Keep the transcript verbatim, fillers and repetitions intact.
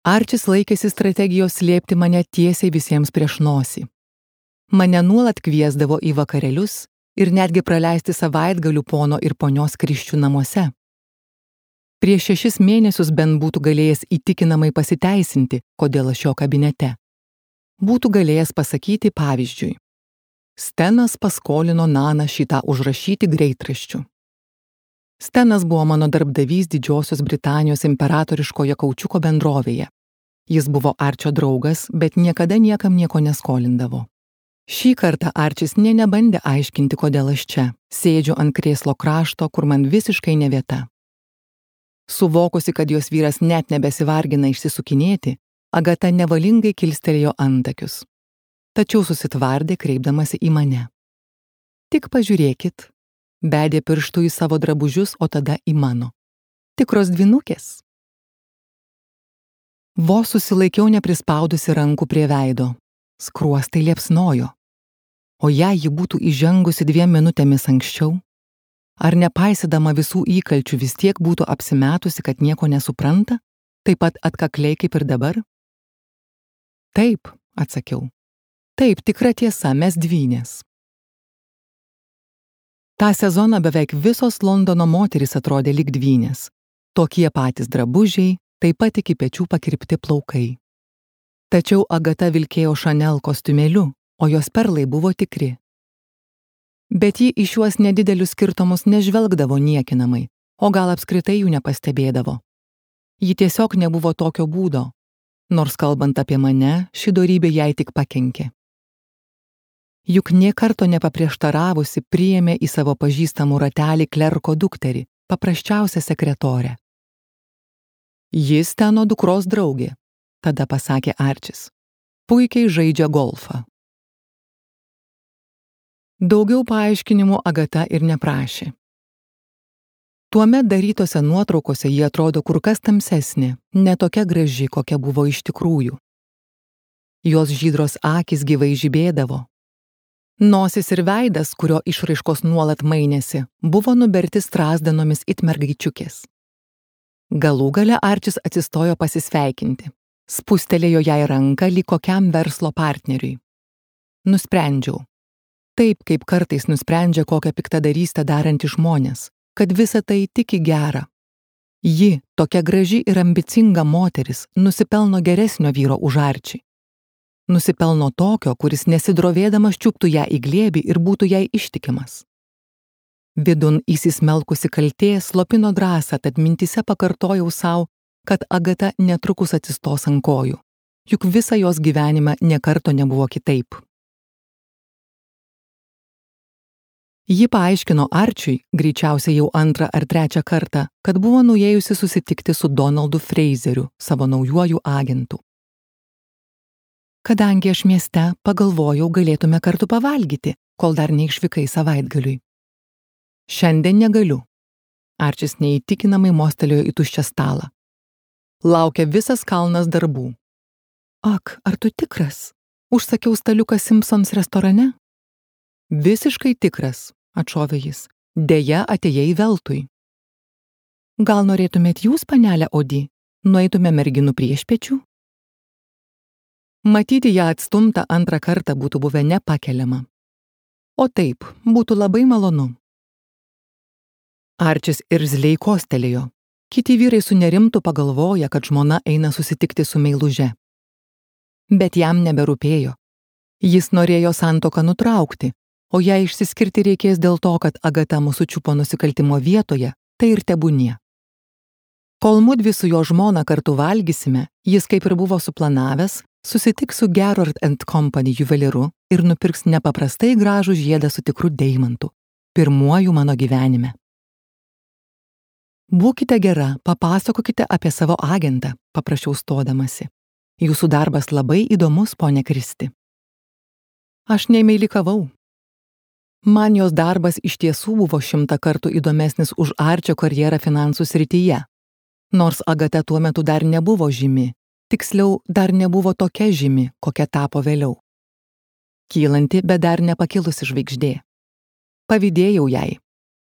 Arčis laikėsi strategijos slėpti mane tiesiai visiems prieš nosį. Mane nuolat kviesdavo į vakarėlius ir netgi praleisti savaitgalių pono ir ponios Krisčių namuose. Prieš šešis mėnesius bent būtų galėjęs įtikinamai pasiteisinti, kodėl aš jo kabinete. Būtų galėjęs pasakyti pavyzdžiui: Stenas paskolino Naną šitą užrašyti greitraščiu. Stenas buvo mano darbdavys Didžiosios Britanijos imperatoriškoje kaučiuko bendrovėje. Jis buvo Arčio draugas, bet niekada niekam nieko neskolindavo. Šį kartą Arčis nė nebandė aiškinti, kodėl aš čia, sėdžiu ant krėslo krašto, kur man visiškai ne vieta. Suvokusi, kad jos vyras net nebesivargina išsisukinėti, Agata nevalingai kilstelėjo antakius. Tačiau susitvardė, kreipdamasi į mane. Tik pažiūrėkit, bedė pirštų į savo drabužius, o tada į mano. Tikros dvynukės. Vos susilaikiau neprispaudusi rankų prie veido. Skruostai liepsnojo. O jei ji būtų įžengusi dviem minutėmis anksčiau, ar nepaisydama visų įkalčių vis tiek būtų apsimetusi, kad nieko nesupranta, taip pat atkakliai kaip ir dabar? Taip, atsakiau. Taip, tikra tiesa, mes dvynės. Ta sezoną beveik visos Londono moterys atrodė lyg dvynės. Tokie patys drabužiai, taip pat iki pečių pakirpti plaukai. Tačiau Agata vilkėjo Chanel kostiumėliu, o jos perlai buvo tikri. Bet ji į šiuos nedidelius skirtumus nežvelgdavo niekinamai, o gal apskritai jų nepastebėdavo. Ji tiesiog nebuvo tokio būdo, nors kalbant apie mane, ši dorybė jai tik pakenkė. Juk nė karto nepaprieštaravusi priėmė į savo pažįstamų ratelį klerko dukterį, paprasčiausią sekretorę. Jis Steno dukros draugė, tada pasakė Arčis. Puikiai žaidžia golfą. Daugiau paaiškinimų Agata ir neprašė. Tuomet darytose nuotraukose ji atrodo kur kas tamsesnė, ne tokia graži, kokia buvo iš tikrųjų. Jos žydros akys gyvai žibėdavo. Nosis ir veidas, kurio išraiškos nuolat mainėsi, buvo nuberti strazdanomis it mergaičiukės. Galų gale Arčis atsistojo pasisveikinti. Spustelėjo jai ranką lyg kokiam verslo partneriui. Nusprendžiau. Taip, kaip kartais nusprendžia kokią piktadarystę darantys žmonės, kad visa tai tik į gerą. Ji, tokia graži ir ambicinga moteris, nusipelno geresnio vyro už Arčį. Nusipelno tokio, kuris nesidrovėdamas čiuptų ją į glėbį ir būtų jai ištikimas. Vidun įsismelkusi kaltė slopino drąsą, tad mintyse pakartojau sau, kad Agata netrukus atsistos ant kojų, juk visą jos gyvenimą nė karto nebuvo kitaip. Ji paaiškino Arčiui, greičiausiai jau antrą ar trečią kartą, kad buvo nuėjusi susitikti su Donaldu Fraseriu, savo naujuoju agentu. Kadangi aš mieste, pagalvojau, galėtume kartu pavalgyti, kol dar neišvykai savaitgaliui. Šiandien negaliu. Arčis neįtikinamai mostelėjo į tuščią stalą. Laukia visas kalnas darbų. Ak, ar tu tikras? Užsakiau staliuką Simpsons restorane? Visiškai tikras, atšovė jis. Deja, atėjai veltui. Gal norėtumėt jūs, panelė Odi, nueitume merginų priešpiečių? Matyti ją atstumtą antrą kartą būtų buvę nepakeliama. O taip, būtų labai malonu. Arčis irzliai kostelėjo. Kiti vyrai sunerimtų pagalvoję, kad žmona eina susitikti su meiluže. Bet jam neberūpėjo. Jis norėjo santuoką nutraukti, o jei išsiskirti reikės dėl to, kad Agata mūsų čiupo nusikaltimo vietoje, tai ir tebūnie. Kol mudvi su jo žmona kartu valgysime, jis kaip ir buvo suplanavęs, susitiks su Gerard and Company juvelyru ir nupirks nepaprastai gražų žiedą su tikru deimantu, pirmuoju mano gyvenime. Būkite gera, papasakokite apie savo agentą, paprašiau stodamasi. Jūsų darbas labai įdomus, ponė Kristi. Aš nemeilikavau. Man jos darbas iš tiesų buvo šimtą kartų įdomesnis už Arčio karjerą finansų srityje. Nors Agata tuo metu dar nebuvo žymi, tiksliau, dar nebuvo tokia žymi, kokia tapo vėliau. Kylanti, bet dar nepakilusi žvaigždė. Pavydėjau jai.